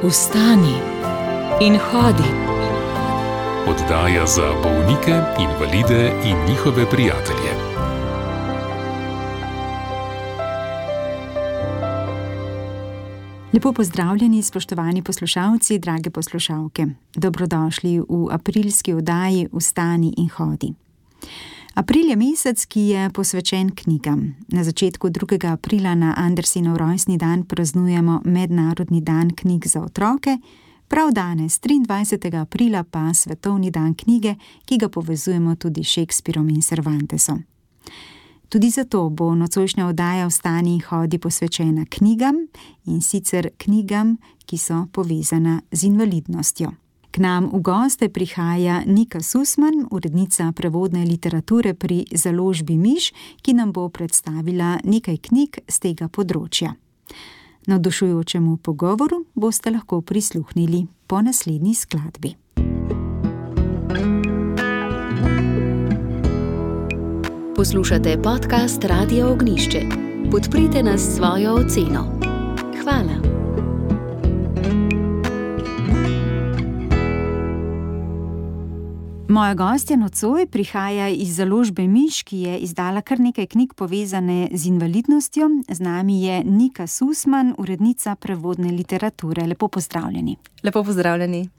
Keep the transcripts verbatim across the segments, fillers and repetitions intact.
Vstani in hodi. Oddaja za bolnike, invalide in njihove prijatelje. Lepo pozdravljeni, spoštovani poslušalci, drage poslušalke. Dobrodošli v aprilski oddaji Vstani in hodi. April je mesec, ki je posvečen knjigam. Na začetku drugega aprila na Andersenov rojstni dan praznujemo Mednarodni dan knjig za otroke, prav danes, triindvajsetega aprila, pa Svetovni dan knjige, ki ga povezujemo tudi s Shakespearom in Cervantesom. Tudi zato bo nocojšnja oddaja Vstani in hodi posvečena knjigam, in sicer knjigam, ki so povezana z invalidnostjo. K nam v goste prihaja Nika Susman, urednica prevodne literature pri založbi Miš, ki nam bo predstavila nekaj knjig z tega področja. Navdušujočemu pogovoru boste lahko prisluhnili po naslednji skladbi. Poslušate podcast Radia Ognjišče. Podprite nas s svojo oceno. Hvala. Moja gostja nocoj prihaja iz založbe Miš, ki je izdala kar nekaj knjig povezane z invalidnostjo. Z nami je Nika Susman, urednica prevodne literature. Lepo pozdravljeni. Lepo pozdravljeni.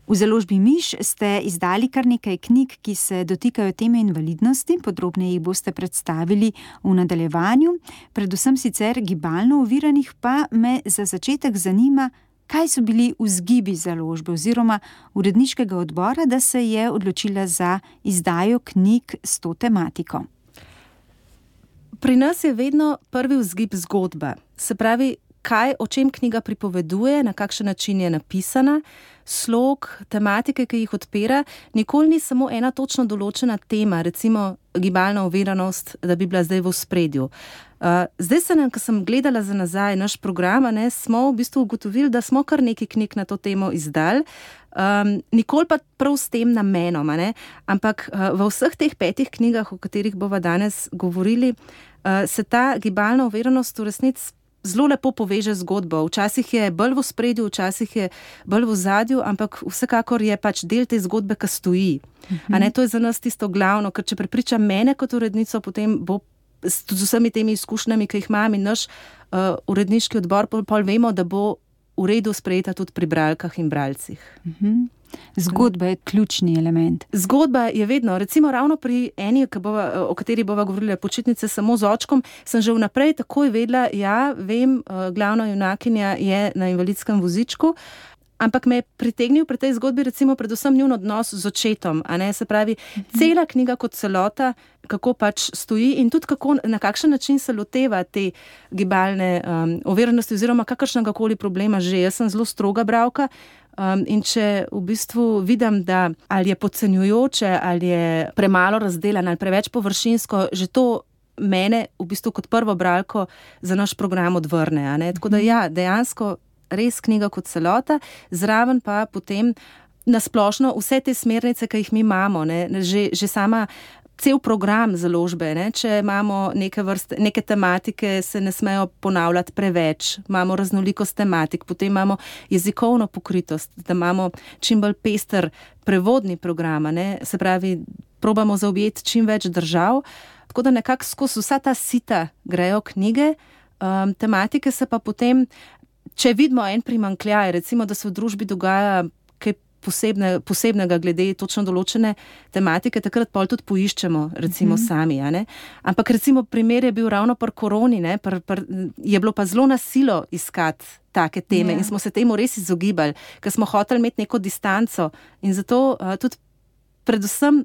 V založbi Miš ste izdali kar nekaj knjig, ki se dotikajo teme invalidnosti. Podrobneje jih boste predstavili v nadaljevanju. Predvsem sicer gibalno oviranih, pa me za začetek zanima, kaj so bili vzgibi založbe oziroma uredniškega odbora, da se je odločila za izdajo knjig s to tematiko? Pri nas je vedno prvi vzgib zgodba. Se pravi, kaj, o čem knjiga pripoveduje, na kakšen način je napisana, slog, tematike, ki jih odpira. Nikoli ni samo ena točno določena tema, recimo gibalna oviranost, da bi bila zdaj v ospredju. Uh, zdaj se nam, ko sem gledala za nazaj naš program, ne, smo v bistvu ugotovili, da smo kar nekaj knjig na to temo izdali, um, nikoli pa prav s tem namenom, ne, ampak uh, v vseh teh petih knjigah, o katerih bova danes govorili, uh, se ta gibalna oviranost v resnici zelo lepo poveže zgodbo. Včasih je bolj v ospredju, včasih je bolj v ozadju, ampak vsekakor je pač del te zgodbe, ki stoji. Uh-huh. A ne, to je za nas tisto glavno, ker če prepriča mene kot urednico, potem bo z vsemi temi izkušnjami, ki jih imam, in naš uh, uredniški odbor, pol, pol vemo, da bo v redu sprejeta tudi pri bralkah in bralcih. Uh-huh. Zgodba je ključni element. Zgodba je vedno, recimo ravno pri eni, bova, o kateri bova govorila, Počitnice samo z očkom, sem že vnaprej takoj vedela, ja, vem, glavna junakinja je na invalidskem vozičku, ampak me je pritegnil pri tej zgodbi recimo predvsem njun odnos z očetom, a ne, se pravi, cela knjiga kot celota, kako pač stoji in tudi kako, na kakšen način se loteva te gibalne um, oviranosti oziroma kakršnega koli problema že. Jaz sem zelo stroga bralka, Um, in če v bistvu vidim, da ali je podcenjujoče, ali je premalo razdelan, ali preveč površinsko, že to mene v bistvu kot prvo bralko za naš program odvrne. A ne? Tako da ja, dejansko res knjiga kot celota, zraven pa potem nasplošno vse te smernice, ki jih mi imamo, ne? Že, že sama cel program založbe, ne? Če imamo neke vrste, neke tematike, se ne smejo ponavljati preveč, imamo raznolikost tematik, potem imamo jezikovno pokritost, da imamo čim bolj pester prevodni program, ne? Se pravi, probamo zaobjeti čim več držav, tako da nekako skozi vsa ta sita grejo knjige, um, tematike se pa potem, če vidimo en primanjkljaj, recimo, da se v družbi dogaja kaj Posebne, posebnega glede točno določene tematike, takrat pol tudi poiščemo, recimo uh-huh. sami. A ne? Ampak recimo primer je bil ravno pri koroni, ne? Pr, pr, je bilo pa zelo na silo iskati take teme yeah. in smo se temu res izogibali, ker smo hoteli imeti neko distanco in zato uh, tudi predvsem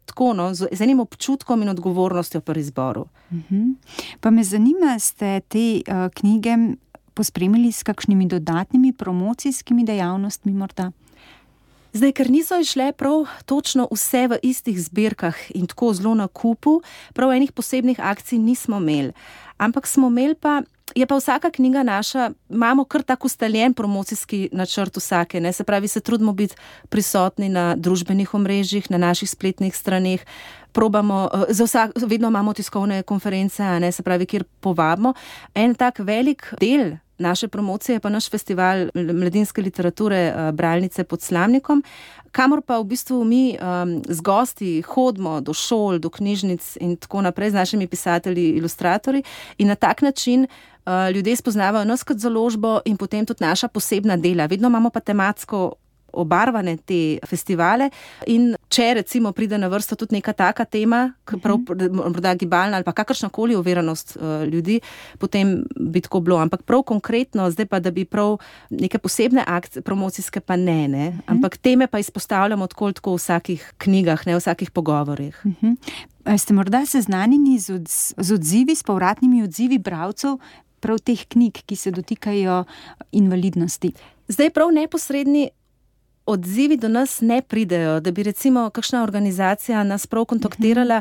tako, no, z, z enim občutkom in odgovornostjo pri izboru. Uh-huh. Pa me zanima, ste te uh, knjige pospremili s kakšnimi dodatnimi promocijskimi dejavnostmi morda? Zdaj, ker niso išle prav točno vse v istih zbirkah in tako zelo na kupu, prav enih posebnih akcij nismo imeli. Ampak smo imeli pa, je pa vsaka knjiga naša, imamo kar tak ustaljen promocijski načrt vsake, ne? Se pravi, se trudimo biti prisotni na družbenih omrežjih, na naših spletnih straneh, probamo, za vsak, vedno imamo tiskovne konference, a ne, se pravi, kjer povabimo. En tak velik del naše promocije pa naš festival mladinske literature Bralnice pod Slamnikom, kamor pa v bistvu mi um, z gosti hodimo do šol, do knjižnic in tako naprej z našimi pisatelji, ilustratorji in na tak način uh, ljudje spoznavajo nas kot založbo in potem tudi naša posebna dela. Vedno imamo pa tematsko obarvane te festivale in če recimo pride na vrsto tudi neka taka tema, prav, morda gibalna ali pa kakršnakoli oviranost uh, ljudi, potem bi tako bilo. Ampak prav konkretno, zdaj pa, da bi prav neke posebne akcije, promocijske pa ne, ne? Ampak teme pa izpostavljamo tako, tako v vsakih knjigah, ne v vsakih pogovorih. Uh-huh. Ste morda seznanjeni z, odz- z odzivi, s povratnimi odzivi bralcev prav teh knjig, ki se dotikajo invalidnosti? Zdaj prav neposredni odzivi do nas ne pridejo, da bi recimo kakšna organizacija nas prav kontaktirala,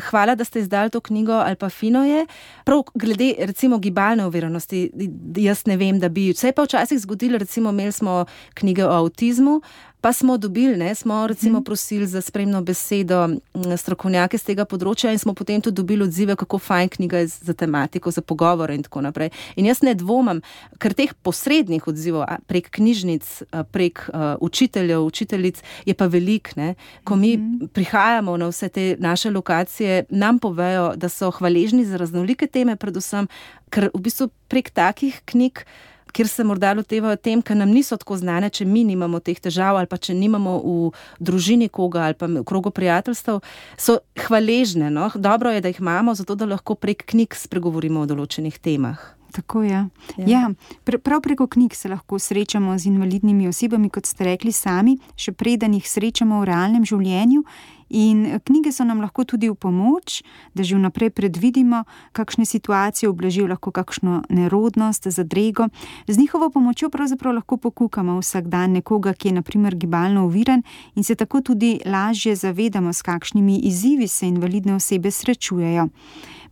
hvala, da ste izdali to knjigo ali pa fino je. Prav glede recimo gibalne oviranosti, jaz ne vem, da bi, vse pa včasih zgodilo, recimo imeli smo knjige o avtizmu, pa smo dobili, ne, smo recimo prosili za spremno besedo strokovnjake z tega področja in smo potem tudi dobili odzive, kako fajn knjiga je za tematiko, za pogovore in tako naprej. In jaz ne dvomam, ker teh posrednih odzivov prek knjižnic, prek uh, učiteljev, učiteljic je pa velik, ne. Ko mi prihajamo na vse te naše lokacije, nam povejo, da so hvaležni za raznolike teme, predvsem, ker v bistvu prek takih knjig, kjer se morda lotevajo tem, ker nam niso tako znane, če mi nimamo teh težav ali pa če nimamo v družini koga ali pa v krogu prijateljstev, so hvaležne. No? Dobro je, da jih imamo, zato da lahko prek knjig spregovorimo o določenih temah. Tako je. Ja. Ja, pr- prav preko knjig se lahko srečamo z invalidnimi osebami, kot ste rekli sami, še preden jih srečamo v realnem življenju. In knjige so nam lahko tudi v pomoč, da že vnaprej predvidimo, kakšne situacije ublažijo lahko kakšno nerodnost, zadrego. Z njihovo pomočjo pravzaprav lahko pokukamo vsak dan nekoga, ki je na primer gibalno oviran in se tako tudi lažje zavedamo, s kakšnimi izzivi se invalidne osebe srečujejo.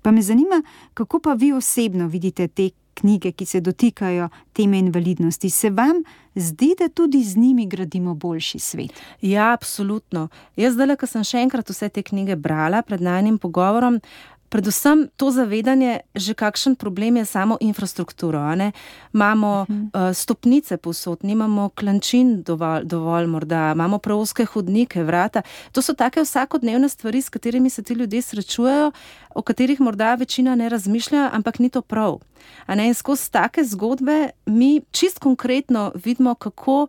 Pa me zanima, kako pa vi osebno vidite te knjige, ki se dotikajo teme invalidnosti. Se vam zdi, da tudi z njimi gradimo boljši svet? Ja, absolutno. Jaz zdaj, ko sem še enkrat vse te knjige brala pred najnim pogovorom, predvsem to zavedanje, že kakšen problem je samo infrastrukturo. Ne? Imamo uh-huh. uh, stopnice povsod, nimamo klančin dovolj, dovolj morda, imamo preozke hodnike, vrata. To so take vsakodnevne stvari, s katerimi se ti ljudje srečujejo, o katerih morda večina ne razmišlja, ampak ni to prav. A ne? In skozi take zgodbe mi čist konkretno vidimo, kako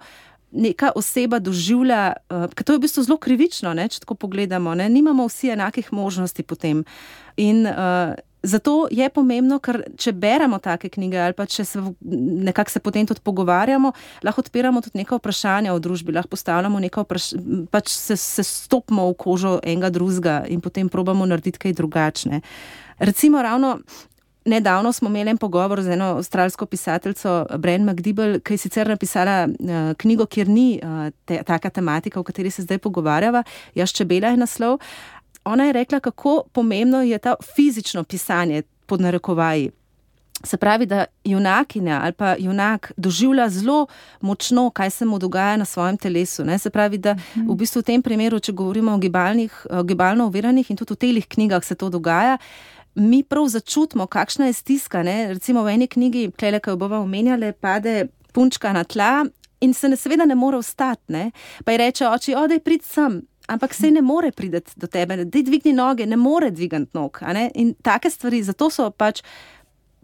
neka oseba doživlja, uh, ker to je v bistvu zelo krivično, ne, če tako pogledamo, ne, nimamo vsi enakih možnosti potem. In uh, zato je pomembno, ker če beremo take knjige ali pa če se nekako se potem tudi pogovarjamo, lahko odpiramo tudi neka vprašanja v družbi, lahko postavljamo neka vprašanja, pač se, se stopimo v kožo enega drugega in potem probamo narediti kaj drugačne. Recimo ravno nedavno smo imeli en pogovor z eno avstralsko pisateljico Bren McDibble, ki je sicer napisala uh, knjigo, kjer ni uh, te, taka tematika, o kateri se zdaj pogovarjava, Jaz čebela je naslov. Ona je rekla, kako pomembno je ta fizično pisanje pod narekovaji. Se pravi, da junakinja ali pa junak doživlja zelo močno, kaj se mu dogaja na svojem telesu. Ne? Se pravi, da v bistvu v tem primeru, če govorimo o gibalnih, gibalno oviranih in tudi v telih knjigah se to dogaja, mi prav začutimo, kakšna je stiska. Ne? Recimo v eni knjigi, klele, ki jo bova omenjale, pade punčka na tla in se ne, seveda ne more vstati. Ne? Pa ji reče oči, odej prid sem. Ampak se ne more priti do tebe, da dvigni noge, ne more dvigati nog. A ne? In take stvari, zato so pač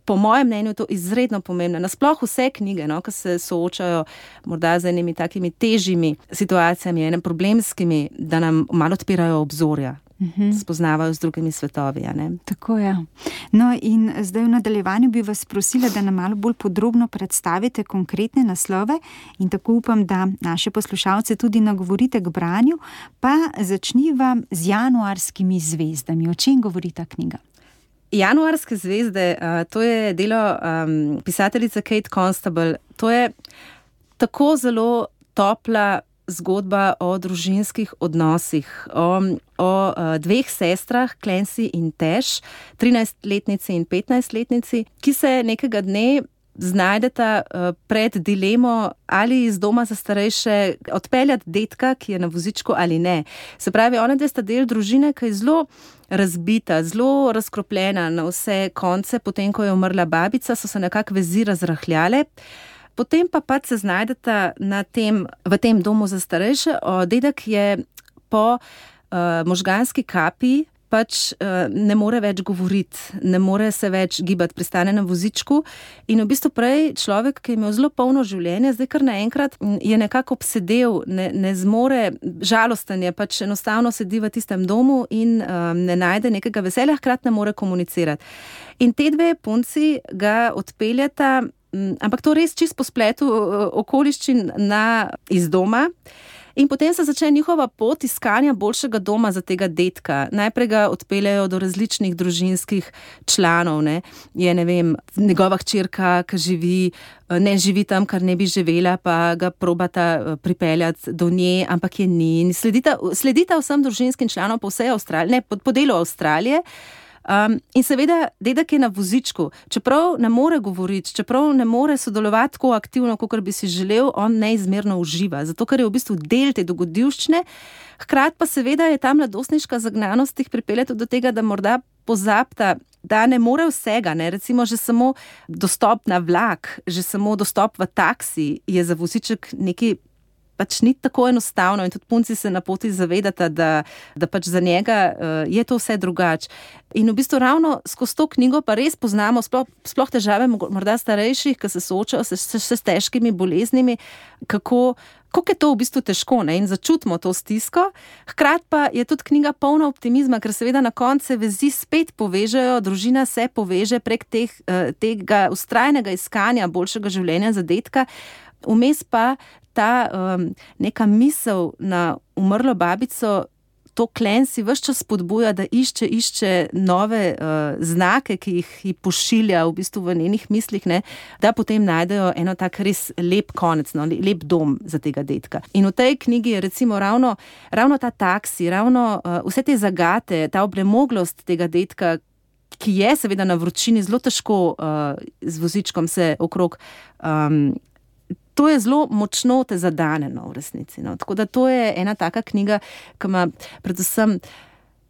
po mojem mnenju to izredno pomembne. Nasploh vse knjige, no, ki se soočajo morda z enimi takimi težjimi situacijami, enim problemskimi, da nam malo odpirajo obzorja. Uhum. Spoznavajo z drugimi svetovi. A ne? Tako je. No in zdaj v nadaljevanju bi vas prosila, da nam malo bolj podrobno predstavite konkretne naslove in tako upam, da naše poslušalce tudi nagovorite k branju, pa začniva z Januarskimi zvezdami. O čem govori ta knjiga? Januarske zvezde, uh, to je delo um, pisateljice Kate Constable. To je tako zelo topla zgodba o družinskih odnosih, o, o uh, dveh sestrah, Clancy in Tash, trinajstletnici in petnajstletnici, ki se nekega dne znajdeta pred dilemo, ali iz doma za starejše odpeljati detka, ki je na vozičku, ali ne. Se pravi, ona dve sta del družine, ki je zelo razbita, zelo razkropljena na vse konce, potem, ko je umrla babica, so se nekako vezi razrahljale. Potem pa pač se znajdeta na tem, v tem domu za starejše. O, dedek je po uh, možganski kapi pač uh, ne more več govoriti, ne more se več gibati, pristane na vozičku in v bistvu prej človek, ki je imel zelo polno življenje, zdaj kar naenkrat je nekako obsedel, ne, ne zmore, žalosten je, pač enostavno sedi v tistem domu in um, ne najde nekega veselja, hkrati ne more komunicirati. In te dve punci ga odpeljata, um, ampak to res čisto po spletu uh, okoliščin na, iz doma. In potem se začne njihova pot iskanja boljšega doma za tega dedka. Najprej ga odpeljajo do različnih družinskih članov, ne. Je, ne vem, njegova hčerka, ki živi, ne živi tam, kar ne bi živela, pa ga probata pripeljati do nje, ampak je ni. In sledita, sledita vsem družinskim članom po vsej Avstraliji, ne, po, po delu Avstralije. Um, in seveda, dedek je na vozičku, čeprav ne more govoriti, čeprav ne more sodelovati tako aktivno, kot bi si želel, on neizmerno uživa, zato ker je v bistvu del te dogodivščine. Hkrati pa seveda je ta mladostniška zagnanost jih pripelje do tega, da morda pozabta, da ne more vsega, ne? Recimo že samo dostop na vlak, že samo dostop v taksi je za voziček nekaj pač ni tako enostavno in tudi punci se na poti zavedata, da, da pač za njega uh, je to vse drugače. In v bistvu ravno skozi to knjigo pa res poznamo sploh, sploh težave morda starejših, ki se soočajo s, s, s težkimi boleznimi, kako, kako je to v bistvu težko, ne? In začutimo to stisko. Hkrati pa je tudi knjiga polna optimizma, ker seveda na koncu vezi spet povežejo, družina se poveže prek teh, uh, tega vztrajnega iskanja boljšega življenja za dedka. Vmes pa ta um, neka misel na umrlo babico, to Clancy ves čas spodbuja, da išče, išče nove uh, znake, ki jih, jih pošilja v bistvu v njenih mislih, ne, da potem najdejo eno tak res lep konec, no, lep dom za tega dedka. In v tej knjigi je recimo ravno, ravno ta taksi, ravno uh, vse te zagate, ta obnemoglost tega dedka, ki je seveda na vročini zelo težko uh, z vozičkom se okrog um, to je zelo močno te zadane, no, v resnici. No. Tako da to je ena taka knjiga, ki ima predvsem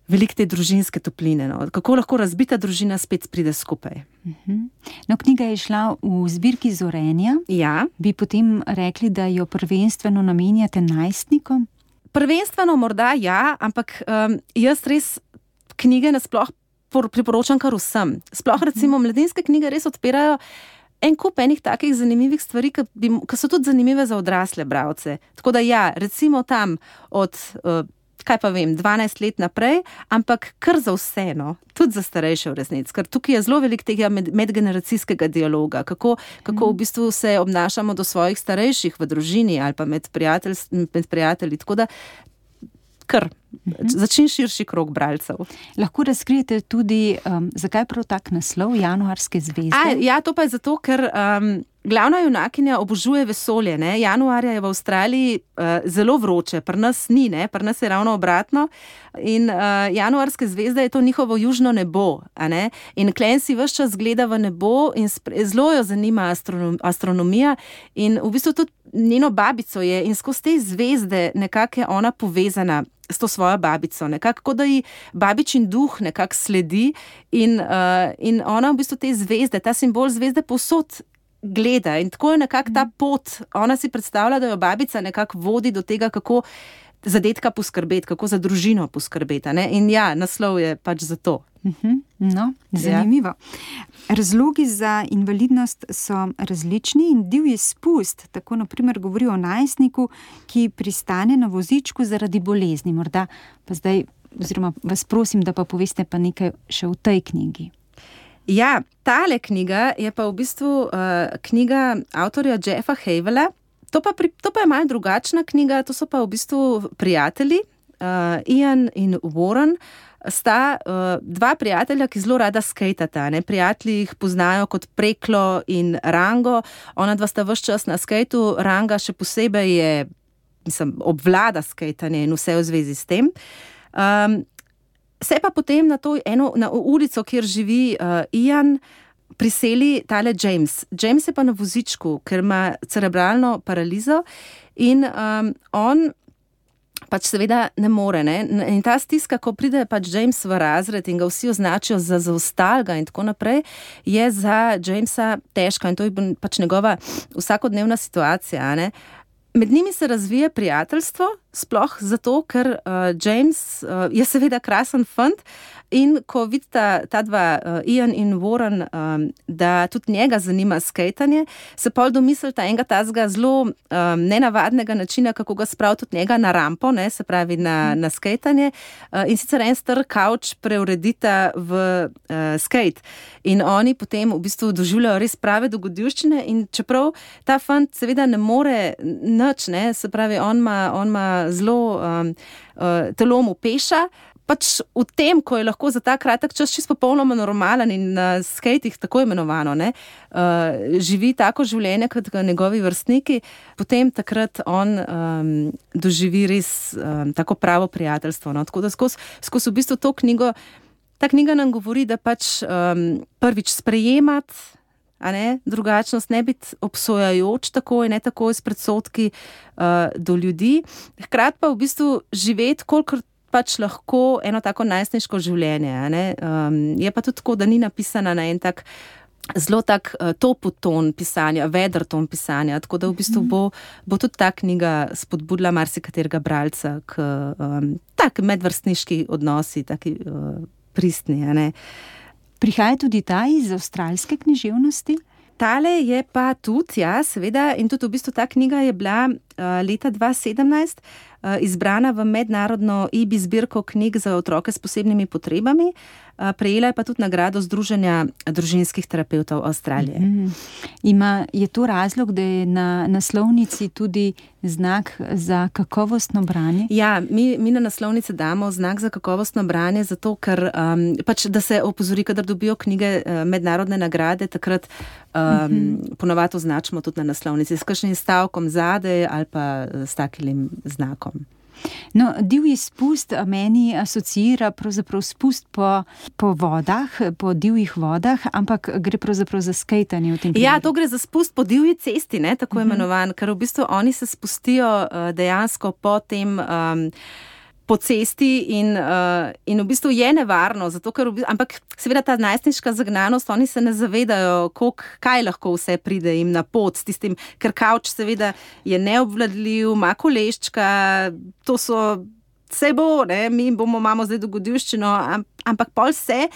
veliko te družinske topline. No. Kako lahko razbita družina spet pride skupaj. Uh-huh. No, knjiga je šla v zbirki Zorenja. Ja. Bi potem rekli, da jo prvenstveno namenjate najstnikom? Prvenstveno morda ja, ampak um, jaz res knjige nasploh priporočam kar vsem. Sploh recimo mladinske knjige res odpirajo en kup enih takih zanimivih stvari, ki, bi, ki so tudi zanimive za odrasle bralce. Tako da ja, recimo tam od, uh, kaj pa vem, dvanajst let naprej, ampak kar za vse, no, tudi za starejše v resnici, ker tukaj je zelo veliko tega med, medgeneracijskega dialoga, kako, kako v bistvu se obnašamo do svojih starejših v družini ali pa med, prijatelj, med prijatelji. Tako da kar začin širši krog bralcev. Lahko razkrijete tudi, um, zakaj prav tak naslov Januarske zvezde? A, ja, to pa je zato, ker um, glavna junakinja obožuje vesolje. Ne? Januarja je v Avstraliji uh, zelo vroče, pri nas ni, ne? Pri nas je ravno obratno. In uh, Januarske zvezde je to njihovo južno nebo. A ne? In Clancy ves čas gleda v nebo in spre, zelo jo zanima astronom, astronomija. In v bistvu tudi njeno babico je in skozi te zvezde nekako je ona povezana s to svojo babico, nekako, da ji babičin duh nekako sledi in, uh, in ona v bistvu te zvezde, ta simbol zvezde povsod gleda in tako je nekako ta pot, ona si predstavlja, da jo babica nekako vodi do tega, kako za dedka poskrbeti, kako za družino poskrbeti. Ne? In ja, naslov je pač za to. Uh-huh. No, zanimivo. Ja. Razlogi za invalidnost so različni in divji spust, tako na primer govori o najstniku, ki pristane na vozičku zaradi bolezni. Morda pa zdaj, oziroma vas prosim, da pa poveste pa nekaj še v tej knjigi. Ja, tale knjiga je pa v bistvu uh, knjiga avtorja Jeffa Havela. To pa, pri, to pa je malo drugačna knjiga, to so pa v bistvu prijatelji, uh, Ian in Warren, sta uh, dva prijatelja, ki zelo rada skejtata. Ne? Prijatelji jih poznajo kot Preklo in Rango, ona dva sta ves čas na skejtu, Ranga še posebej je, mislim, obvlada skejtanje in vse v zvezi s tem. Um, se pa potem na to eno, na ulico, kjer živi uh, Ian, priseli tale James. James je pa na vozičku, ker ima cerebralno paralizo in um, on pač seveda ne more. Ne? In ta stiska, ko pride pač James v razred in ga vsi označijo za zaostalga in tako naprej, je za Jamesa težka in to je pač njegova vsakodnevna situacija. Ne? Med njimi se razvije prijateljstvo, sploh zato, ker uh, James uh, je seveda krasen fant in ko vidita ta dva, uh, Ian in Warren, um, da tudi njega zanima skejtanje, se pol domislita enega tazga zelo um, nenavadnega načina, kako ga spravi tudi njega na rampo, ne, se pravi na, na skejtanje, uh, in sicer en star kavč preuredita v uh, skejt. In oni potem v bistvu doživljajo res prave dogodivščine in čeprav ta fant seveda ne more nič, ne, se pravi, on ima, on ima zelo um, uh, telo mu peša, pač v tem, ko je lahko za ta kratek čas čisto popolnoma normalen in na skejtih tako imenovano, ne, uh, živi tako življenje kot njegovi vrstniki, potem takrat on um, doživi res um, tako pravo prijateljstvo. No. Tako da skozi, skozi v bistvu to knjigo, ta knjiga nam govori, da pač um, prvič sprejemati, a ne, drugačnost, ne biti obsojajoč takoj, ne takoj s predsodki uh, do ljudi, hkrati pa v bistvu živeti, kolikor pač lahko eno tako najstniško življenje. A ne? Um, je pa tudi tako, da ni napisana na en tak zelo tak uh, topoton pisanja, vedr ton pisanja, tako da v bistvu bo, bo tudi ta knjiga spodbudila marsikaterega bralca k um, tak medvrstniški odnosi, taki uh, pristni. A ne? Prihaja tudi ta iz avstralske književnosti? Tale je pa tudi, ja, seveda, in tudi v bistvu ta knjiga je bila uh, leta dva tisoč sedemnajst uh, izbrana v mednarodno I B I zbirko knjig za otroke s posebnimi potrebami. Uh, prejela je pa tudi nagrado Združenja družinskih terapevtov Avstralije. Mm. Ima, je to razlog, da je na naslovnici tudi znak za kakovostno branje? Ja, mi, mi na naslovnici damo znak za kakovostno branje, zato ker um, pač, da se opozori, kadar dobijo knjige uh, mednarodne nagrade, takrat um, mm-hmm. ponovadi označimo tudi na naslovnici s kakšnim stavkom zadaj ali pa s takim znakom. No, divji spust meni asociira pravzaprav spust po, po vodah, po divjih vodah, ampak gre pravzaprav za skejtanje v tem primeru. Ja, to gre za spust po divji cesti, ne, tako uh-huh. imenovan, ker v bistvu oni se spustijo uh, dejansko po tem um, po cesti in, uh, in v bistvu je nevarno, zato ker v bistvu, ampak seveda ta najstniška zagnanost, oni se ne zavedajo, koliko, kaj lahko vse pride jim na pot s tistim, ker kavč seveda je neobvladljiv, ima koleščka, to so, vse bo, ne, mi bomo, imamo zdaj dogodivščino, ampak pol se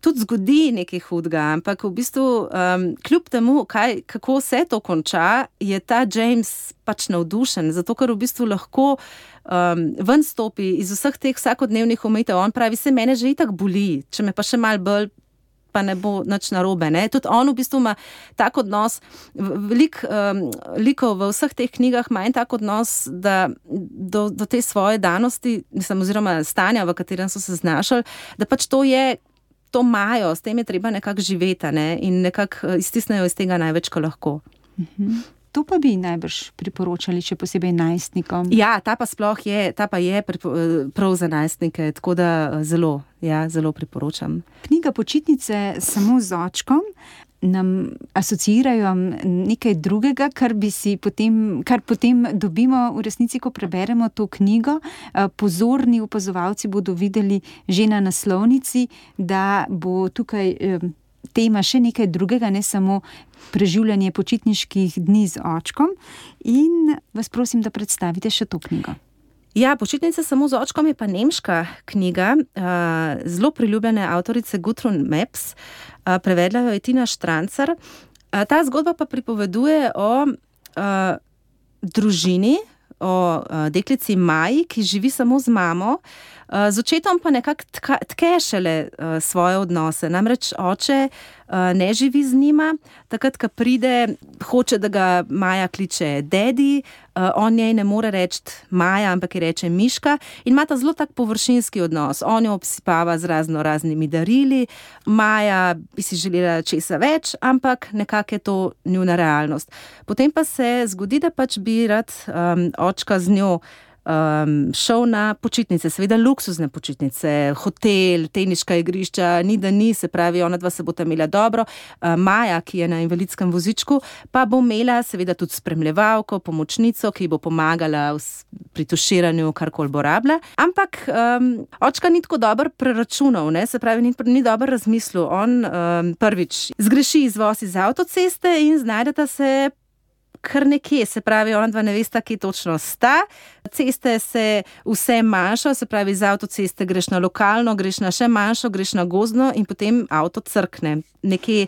tudi zgodi nekaj hudega, ampak v bistvu um, kljub temu, kaj, kako se to konča, je ta James pač navdušen, zato ker v bistvu lahko um, ven stopi iz vseh teh vsakodnevnih omejitev. On pravi, se mene že itak boli, če me pa še malo bolj, pa ne bo nič narobe. Ne? Tudi on v bistvu ima tak odnos, veliko um, likov v vseh teh knjigah ima en tak odnos, da do, do te svoje danosti, mislim, oziroma stanja, v katerem so se znašali, da pač to je to imajo, s tem je treba nekako živeti, ne? In nekako iztisnejo iz tega največ, ko lahko. Mhm. To pa bi najbrž priporočali, še posebej najstnikom. Ja, ta pa sploh je, ta pa je prav za najstnike, tako da zelo, ja, zelo priporočam. Knjiga Počitnice samo z očkom nam asociirajo nekaj drugega, kar bi si potem, kar potem dobimo v resnici, ko preberemo to knjigo. Pozorni opazovalci bodo videli že na naslovnici, da bo tukaj tema še nekaj drugega, ne samo preživljanje počitniških dni z očkom. In vas prosim, da predstavite še to knjigo. Ja, Počitnice samo z očkom je pa nemška knjiga, uh, zelo priljubljene avtorice Gudrun Maps, uh, prevedla jo je Tina Štrancar. Uh, ta zgodba pa pripoveduje o uh, družini, o uh, deklici Maji, ki živi samo z mamo, uh, z očetom pa nekako tke šele uh, svoje odnose. Namreč oče uh, ne živi z njima, takrat, ko pride, hoče, da ga Maja kliče dedi, uh, on njej ne more reči Maja, ampak ji reče Miška in ima ta zelo tak površinski odnos. On jo obsipava z razno raznimi darili, Maja bi si želela česa več, ampak nekako je to njuna realnost. Potem pa se zgodi, da pač bi rad um, očka z njo um, šel na počitnice, seveda luksuzne počitnice, hotel, teniška igrišča, ni da ni, se pravi, ona dva se bosta imela dobro. Uh, Maja, ki je na invalidskem vozičku, pa bo imela seveda tudi spremljevalko, pomočnico, ki bo pomagala v, pri tuširanju, karkoli bo rabila. Ampak um, očka ni tako dobro preračunal, ne? Se pravi, ni, ni dobro razmislil. On um, prvič zgreši izvoz iz avtoceste in znajdeta se kar nekje, se pravi, ona dva ne vesta, kje točno sta. Ceste se vse manjšo, se pravi, iz avtoceste greš na lokalno, greš na še manjšo, greš na gozdno in potem avto crkne. Nekje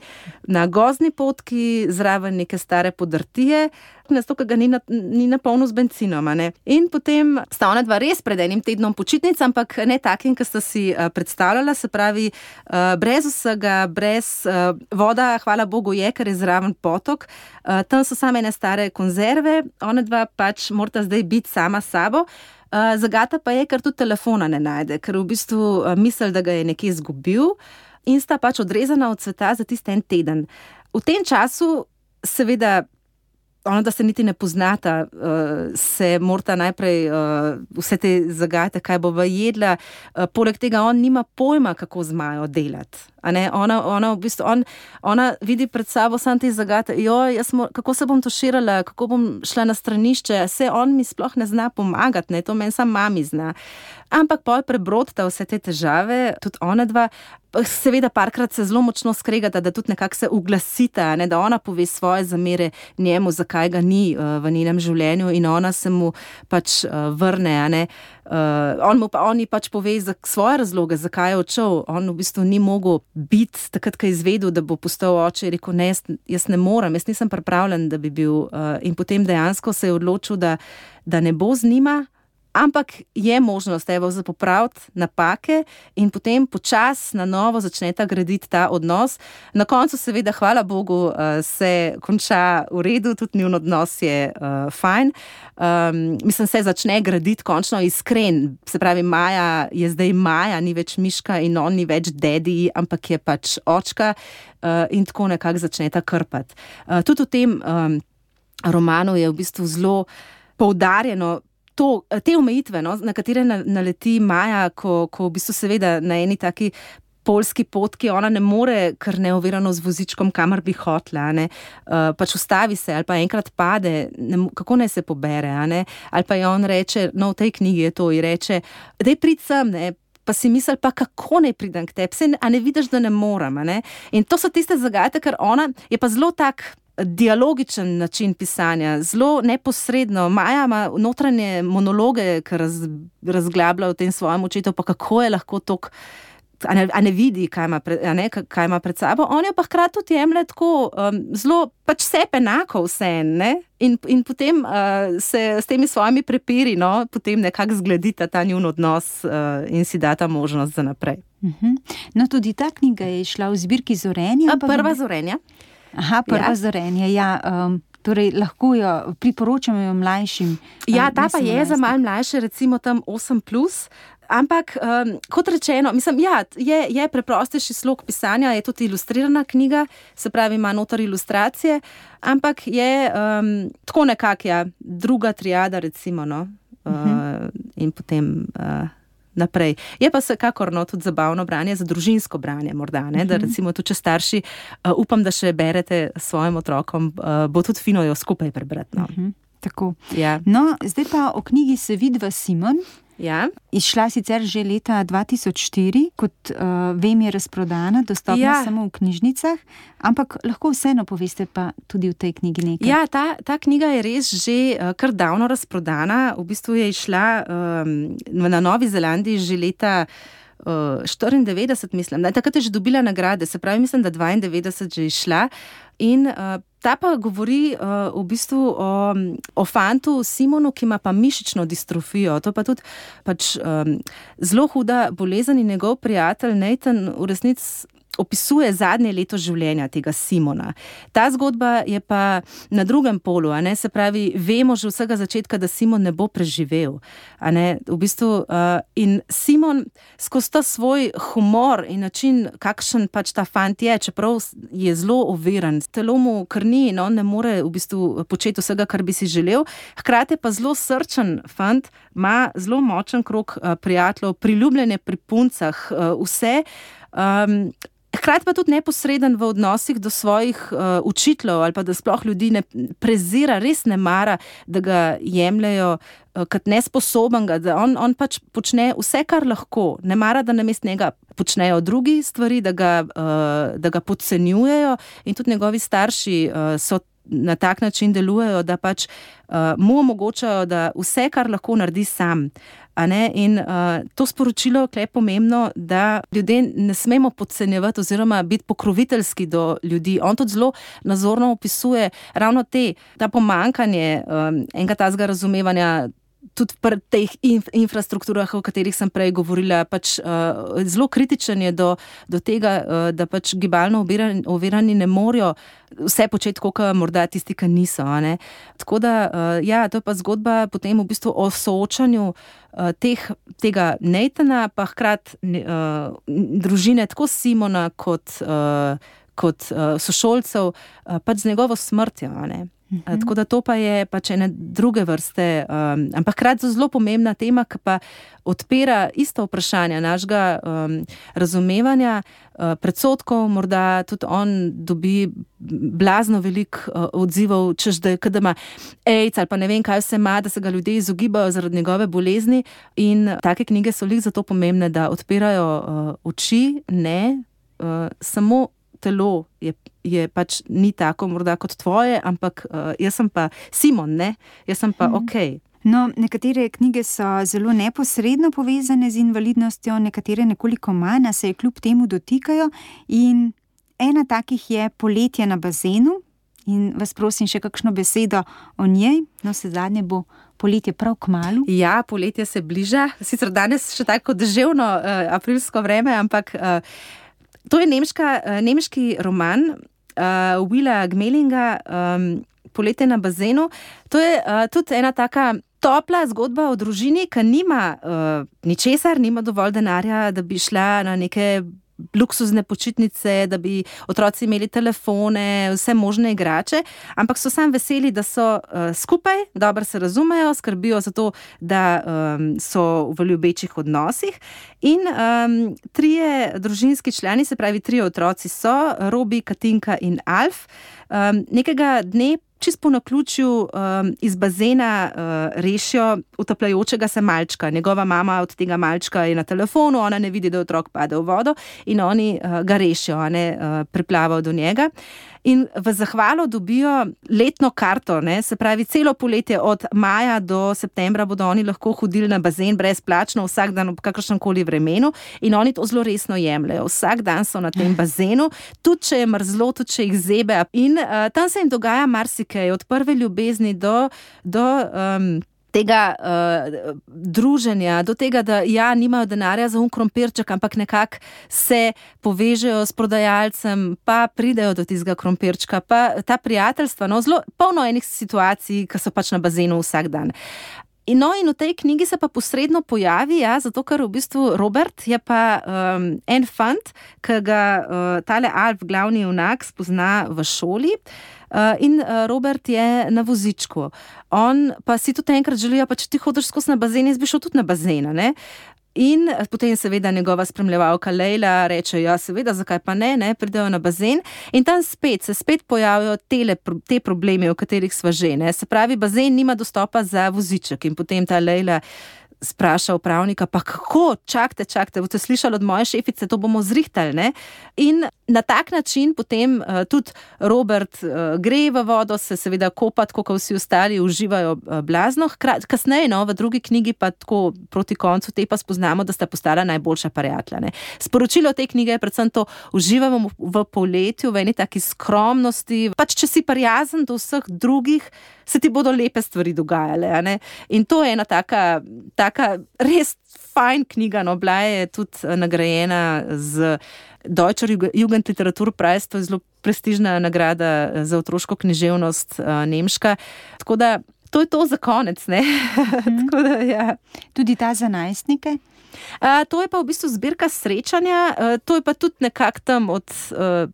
na gozdni potki, zraven neke stare podrtije, zato, ker ga ni, na, ni napolnil z benzinom. Ne? In potem sta ona dva res pred enim tednom počitnic, ampak ne takim, ki sta si uh, predstavljala, se pravi, uh, brez vsega, brez uh, voda, hvala Bogu je, ker je zraven potok. Uh, tam so same ene stare konzerve, ona dva pač morata zdaj biti sama s sabo. Uh, zagata pa je, ker tudi telefona ne najde, ker v bistvu uh, misli, da ga je nekje izgubil in sta pač odrezana od sveta za tisti en teden. V tem času, seveda, ona, da se niti ne poznata, uh, se morata najprej uh, vse te zagate, kaj bova jedla. Uh, poleg tega on nima pojma, kako z Majo delati. A ne? Ona, ona, v bistvu, on, ona vidi pred sabo samo te zagate, joj, jaz mo, kako se bom tuširala, kako bom šla na stranišče, se on mi sploh ne zna pomagati, ne? To meni sam mami zna. Ampak pol prebrodita vse te težave, tudi ona dva, seveda parkrat se zelo močno skregata, da tudi nekako se uglasita, ne? Da ona pove svoje zamere njemu, zakaj ga ni uh, v njenem življenju in ona se mu pač uh, vrne, a ne. Uh, on mu pa, on ji pač pove za svoje razloge, zakaj je odšel. On v bistvu ni mogel biti takrat, ko je izvedel, da bo postal oče, je rekel, ne, jaz, jaz ne morem, jaz nisem pripravljen, da bi bil. Uh, in potem dejansko se je odločil, da, da ne bo z njima, ampak je možnost, evo, za popraviti napake in potem počas na novo začneta graditi ta odnos. Na koncu seveda, hvala Bogu, se konča v redu, tudi njun odnos je uh, fajn. Um, mislim, se začne graditi končno iskren. Se pravi, Maja je zdaj Maja, ni več Miška in on ni več dedi, ampak je pač očka uh, in tako nekako začneta krpati. Uh, tudi v tem um, romanu je v bistvu zelo poudarjeno To, te omejitve, no, na katere naleti Maja, ko, ko v bistvu seveda na eni taki poljski potki ona ne more kar neovirano z vozičkom, kamor bi hotla, ne, uh, pač ustavi se ali pa enkrat pade, ne, kako naj se pobere, a ne, ali pa je on reče, no v tej knjigi je to, in reče, daj prid sem, ne, pa si misli, pa kako ne pridem k tebi, a ne vidiš, da ne morem, a ne, in to so tiste zagate, ker ona je pa zelo tak dialogičen način pisanja, zelo neposredno. Maja ima notranje monologe, ki raz, razglablja v tem svojem očetu, pa kako je lahko tok, a ne, a ne vidi, kaj ima, pred, a ne, kaj ima pred sabo. On je pa hkrati tudi jemlje tako um, zelo, pač vse enako vse, ne? In, in potem uh, se s temi svojimi prepiri, no, potem nekako zgledita ta njun odnos uh, in si data možnost za naprej. Uh-huh. No, tudi ta knjiga je šla v zbirki Zorenja. Prva Zorenja. Aha, prva ja. Zorenje, ja. Um, torej, lahko jo priporočamo jo mlajšim. Ja, ta pa je za malo mlajše, recimo tam osem plus, ampak um, kot rečeno, mislim, ja, je, je preprostejši slog pisanja, je tudi ilustrirana knjiga, se pravi, ima noter ilustracije, ampak je um, tako nekak, ja, druga triada, recimo, no, uh-huh. uh, in potem... Uh, naprej. Je pa vsekakor no, tudi zabavno branje, za družinsko branje morda, ne? Da recimo tudi če starši, uh, upam, da še berete svojim otrokom, uh, bo tudi fino jo skupaj prebrati. No. Uh-huh. Tako. Ja. No, zdaj pa o knjigi Se vidva Simon. Ja. Izšla sicer že leta dva tisoč štiri, kot uh, vem, je razprodana, dostopna ja. samo v knjižnicah, ampak lahko vseeno poveste pa tudi v tej knjigi nekaj. Ja, ta, ta knjiga je res že uh, kar davno razprodana. V bistvu je išla um, na Novi Zelandiji že leta uh, štiriindevetdeset, mislim. Takrat je že dobila nagrade, se pravi, mislim, da dvaindevetdeset že išla. In uh, ta pa govori uh, v bistvu o, o fantu Simonu, ki ima pa mišično distrofijo. To pa tudi pač, um, zelo huda bolezen in njegov prijatelj Nathan v resnici opisuje zadnje leto življenja tega Simona. Ta zgodba je pa na drugem polu, a ne, se pravi, vemo že vsega začetka, da Simon ne bo preživel, a ne, v bistvu, uh, in Simon skozi ta svoj humor in način, kakšen pač ta fant je, čeprav je zelo oviran, telo mu krni in on ne more v bistvu početi vsega, kar bi si želel, hkrati pa zelo srčen fant, ima zelo močen krog uh, prijateljev, priljubljene pri puncah, uh, vse, um, hkrati pa tudi neposreden v odnosih do svojih uh, učiteljev ali pa da sploh ljudi ne prezira, res ne mara, da ga jemljejo uh, kot nesposobenega, da on, on pač počne vse, kar lahko, ne mara, da namesto njega počnejo drugi stvari, da ga, uh, da ga podcenjujejo in tudi njegovi starši uh, so na tak način delujejo, da pač uh, mu omogočajo, da vse, kar lahko naredi sam. A ne? In uh, to sporočilo je pomembno, da ljudje ne smemo podcenjevati oziroma biti pokroviteljski do ljudi. On tudi zelo nazorno opisuje ravno te, ta pomankanje um, enega tazga razumevanja tudi pri teh inf- infrastrukturah, o katerih sem prej govorila, pač uh, zelo kritičen je do, do tega, uh, da pač gibalno ovirani, ovirani ne morejo vse početi, kot morda tisti, ki niso. A ne? Tako da, uh, ja, to je pa zgodba potem v bistvu o soočanju uh, teh, tega Nathana, pa hkrati uh, družine, tako Simona kot, uh, kot uh, sošolcev, uh, pač z njegovo smrtjo, a ne? Uh, tako da to pa je pač ene druge vrste, um, ampak hkrati zelo pomembna tema, ki pa odpira isto vprašanje našega um, razumevanja, uh, predsodkov, morda tudi on dobi blazno veliko uh, odzivov, češ da je, kada ima AIDS ali pa ne vem kaj vse ima, da se ga ljudje izogibajo zaradi njegove bolezni in take knjige so lih zato pomembne, da odpirajo uh, oči, ne, uh, samo telo je, je pač ni tako morda kot tvoje, ampak uh, jaz sem pa Simon, ne? Jaz sem pa ok. No, nekatere knjige so zelo neposredno povezane z invalidnostjo, nekatere nekoliko manj, a se je kljub temu dotikajo in ena takih je Poletje na bazenu in vas prosim še kakšno besedo o njej, no se zadnje bo poletje prav kmalu. Ja, poletje se bliža, sicer danes še tako deževno uh, aprilsko vreme, ampak uh, to je nemška, nemški roman uh, Willa Gmelinga, um, Poletje na bazenu. To je uh, tudi ena taka topla zgodba o družini, ki nima uh, ničesar, nima dovolj denarja, da bi šla na neke luksuzne počitnice, da bi otroci imeli telefone, vse možne igrače, ampak so sam veseli, da so uh, skupaj, dobro se razumejo, skrbijo za to, da um, so v ljubečih odnosih in um, trije družinski člani, se pravi trije otroci so, Robi, Katinka in Alf, um, nekega dne čist po naključju um, iz bazena uh, rešijo utapljajočega se malčka. Njegova mama od tega malčka je na telefonu, ona ne vidi, da otrok pade v vodo in oni uh, ga rešijo, a ne, uh, priplavajo do njega. In v zahvalo dobijo letno karto, ne, se pravi celo poletje od maja do septembra bodo oni lahko hodili na bazen brezplačno vsak dan ob kakršnemkoli vremenu in oni to zelo resno jemljajo. Vsak dan so na tem bazenu, tudi če je mrzlo, tudi če jih zebe in uh, tam se jim dogaja marsikaj, od prve ljubezni do, do um, tega uh, druženja, do tega, da ja, nimajo denarja za un krompirček, ampak nekako se povežejo s prodajalcem, pa pridejo do tistega krompirčka, pa ta prijateljstva, no, zelo polno enih situacij, ki so pač na bazenu vsak dan. In, no, in v tej knjigi se pa posredno pojavi, ja, zato ker v bistvu Robert je pa um, en fant, ki ga uh, tale Alf, glavni junak, spozna v šoli. Uh, in uh, Robert je na vozičku. On pa si tudi enkrat želijo, pa če ti hodiš skozi na bazen, jaz bi šel tudi na bazen, ne? In potem seveda njegova spremljevalka Lejla reče, ja seveda, zakaj pa ne, ne, pridejo na bazen in tam spet se spet pojavijo tele, te problemi, o katerih sva že, ne, se pravi, bazen nima dostopa za voziček in potem ta Lejla spraša upravnika, pa kako, čakajte, čakajte, boste slišali od moje šefice, to bomo zrihtali, ne? In na tak način potem uh, tudi Robert uh, gre v vodo, se seveda kopa, tako kot vsi ostali uživajo uh, blazno. Hkrat, kasneje, no, v drugi knjigi pa tako proti koncu te pa spoznamo, da sta postala najboljša prijatelja, ne? Sporočilo te knjige je predvsem to, uživamo v poletju, v eni taki skromnosti, pač če si prijazen do vseh drugih, se ti bodo lepe stvari dogajale, a ne? In to je ena taka, taka res fajn knjiga, no, bila je tudi nagrajena z Deutscher Jugendliteraturpreis, to je zelo prestižna nagrada za otroško književnost uh, nemška. Tako da to je to za konec, ne? Mm. Tako da, ja. Tudi ta za najstnike? Uh, to je pa v bistvu zbirka srečanja, uh, to je pa tudi nekak tam od uh,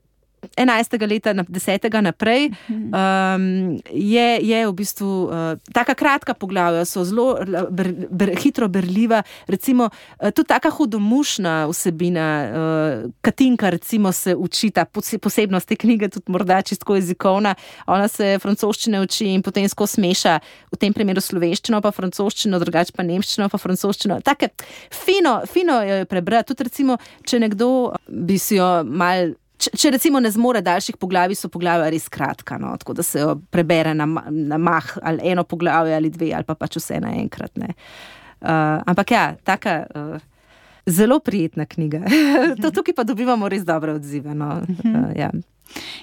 enajstega leta, desetega naprej, um, je, je v bistvu uh, taka kratka poglavja, so zelo ber, ber, hitro berljiva, recimo uh, tudi taka hudomušna vsebina, uh, Katinka recimo se uči, ta posebnost te knjige, tudi morda čisto jezikovna, ona se francoščine uči in potem skozi smeša, v tem primeru slovenščino, pa francoščino, drugače pa nemščino, pa francoščino. Take fino, fino jo je prebrati, tudi recimo, če nekdo bi si jo mal Če, če recimo ne zmore daljših poglavij, so poglavja res kratka, no? Tako da se jo prebere na, na mah ali eno poglavje ali dve, ali pa pač vse naenkrat. Ne? Uh, ampak ja, taka uh, zelo prijetna knjiga. To tukaj pa dobivamo res dobre odzive. No? Uh, ja.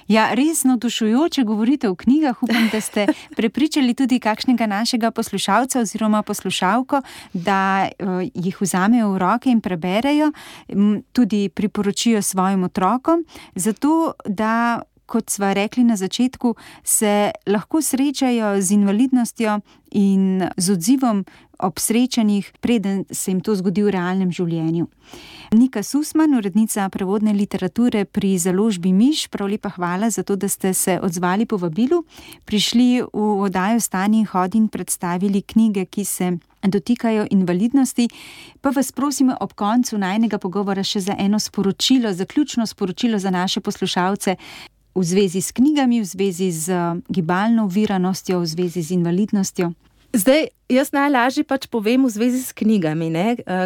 Ja, res navdušujoče govorite o knjigah. Upam, da ste prepričali tudi kakšnega našega poslušalca oziroma poslušalko, da uh, jih vzamejo v roke in preberejo, m, tudi priporočijo svojim otrokom, zato da, kot sva rekli na začetku, se lahko srečajo z invalidnostjo in z odzivom ob srečanjih, preden se jim to zgodi v realnem življenju. Nika Susman, urednica prevodne literature pri založbi Miš, prav lepa hvala za to, da ste se odzvali povabilu, prišli v oddajo Vstani in hodi in predstavili knjige, ki se dotikajo invalidnosti. Pa vas prosimo ob koncu najnega pogovora še za eno sporočilo, zaključno sporočilo za naše poslušalce v zvezi s knjigami, v zvezi z gibalno oviranostjo, v zvezi z invalidnostjo. Zdaj, jaz najlažje pač povem v zvezi s knjigami. Ne?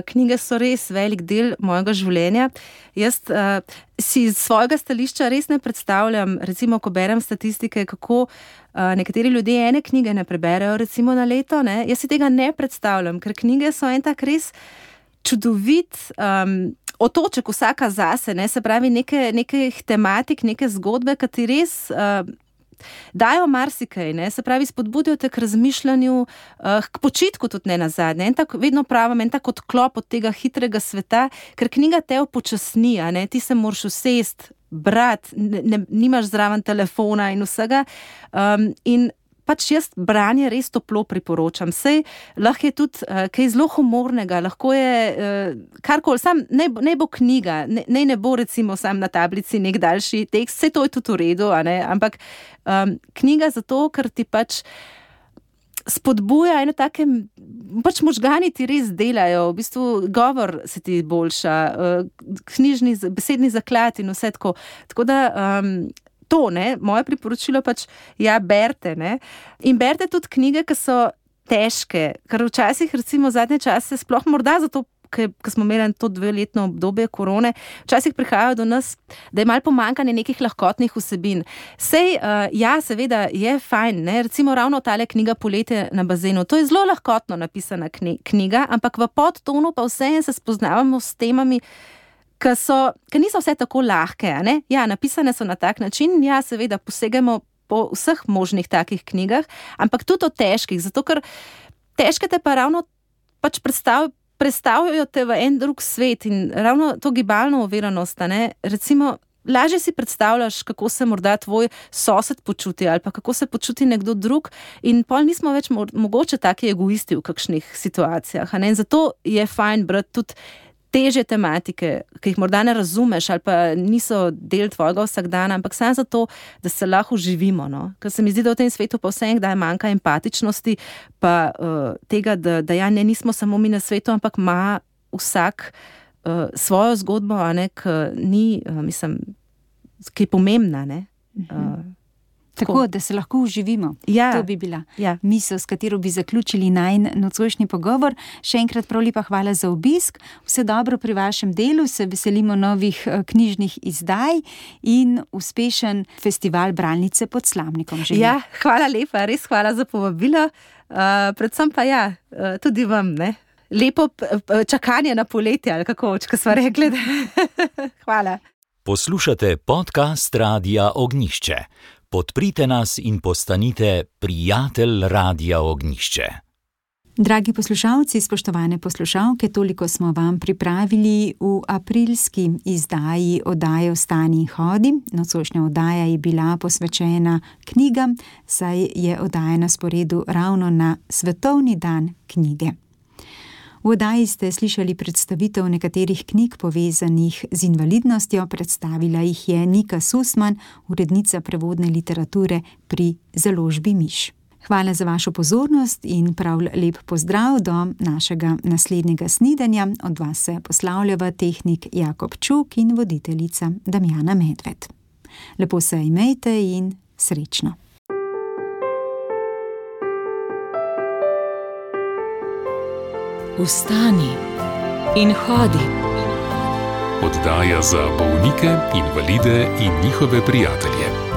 Knjige so res velik del mojega življenja. Jaz uh, si iz svojega stališča res ne predstavljam, recimo, ko berem statistike, kako uh, nekateri ljudje ene knjige ne preberejo, recimo na leto. Ne? Jaz si tega ne predstavljam, ker knjige so en tak res čudovit um, otoček vsaka zase, ne? Se pravi neke, nekih tematik, neke zgodbe, ki ti res Uh, dajo marsikaj, ne? Se pravi, spodbudijo te k razmišljanju, uh, k počitku tudi ne nazadnje. En tak, vedno pravim, en tak odklop od tega hitrega sveta, ker knjiga te upočasni, a ne? Ti se moraš usest, brati, ne, ne, nimaš zraven telefona in vsega. Um, in pač jaz branje res toplo priporočam. Sej lahko je tudi uh, kaj zelo humornega, lahko je uh, karkoli, sam ne, ne bo knjiga, ne, ne, ne bo recimo sam na tablici nek daljši tekst, vse to je tudi v redu, a ne? Ampak um, knjiga zato, ker ti pač spodbuja eno take, pač možgani ti res delajo, v bistvu govor se ti boljša, uh, knjižni, besedni zaklad in vse tako. Tako da um, to, ne, moje priporočilo pač, ja, berte, ne, in berte tudi knjige, ki so težke, ker včasih, recimo, zadnje čase, sploh morda zato, ker smo imeli to dveletno obdobje korone, včasih prihajajo do nas, da je malo pomanjkanje nekih lahkotnih vsebin. Sej, uh, ja, seveda, je fajn, ne, recimo ravno tale knjiga Poletje na bazenu, to je zelo lahkotno napisana knjiga, ampak v podtonu pa vseeno se spoznavamo s temami, Ki, so, ki niso vse tako lahke, ne? Ja, napisane so na tak način, ja, seveda posegamo po vseh možnih takih knjigah, ampak tudi o težkih, zato ker težke te pa ravno pač predstav, predstavljajo te v en drug svet in ravno to gibalno oviranost, ne? Recimo, lažje si predstavljaš, kako se morda tvoj sosed počuti ali pa kako se počuti nekdo drug in pol nismo več mo- mogoče taki egoisti v kakšnih situacijah, ne? In zato je fajn brati tudi teže tematike, ki jih morda ne razumeš ali pa niso del tvojega vsakdana, ampak samo zato, da se lahko uživimo. No? Ker se mi zdi, da v tem svetu pa vse enkdaj manjka empatičnosti, pa uh, tega, da, da ja, ne nismo samo mi na svetu, ampak ima vsak uh, svojo zgodbo, a ne, ki ni, uh, mislim, ki je pomembna, ne. Uh, Tako, da se lahko uživimo. Ja. To bi bila ja. misel, s katero bi zaključili najin nocojšnji pogovor. Še enkrat prav lepa hvala za obisk. Vse dobro pri vašem delu, se veselimo novih knjižnih izdaj in uspešen festival Bralnice pod Slamnikom. Želim. Ja, hvala lepa, res hvala za povabilo. Uh, predvsem pa ja, uh, tudi vam, ne. Lepo čakanje na poletje, ali kako, če sva rekli. Hvala. Poslušate podcast Radia Ognjišče. Podprite nas in postanite prijatelj Radia Ognjišče. Dragi poslušalci, spoštovane poslušalke, toliko smo vam pripravili v aprilski izdaji oddaje Vstani in hodi. Nocojšnja oddaja je bila posvečena knjigam, saj je oddaja na sporedu ravno na Svetovni dan knjige. V oddaji ste slišali predstavitev nekaterih knjig povezanih z invalidnostjo, predstavila jih je Nika Susman, urednica prevodne literature pri založbi Miš. Hvala za vašo pozornost in prav lep pozdrav do našega naslednjega snidenja. Od vas se poslavljava tehnik Jakob Čuk in voditeljica Damjana Medved. Lepo se imejte in srečno. Vstani in hodi. Oddaja za bolnike, invalide in njihove prijatelje.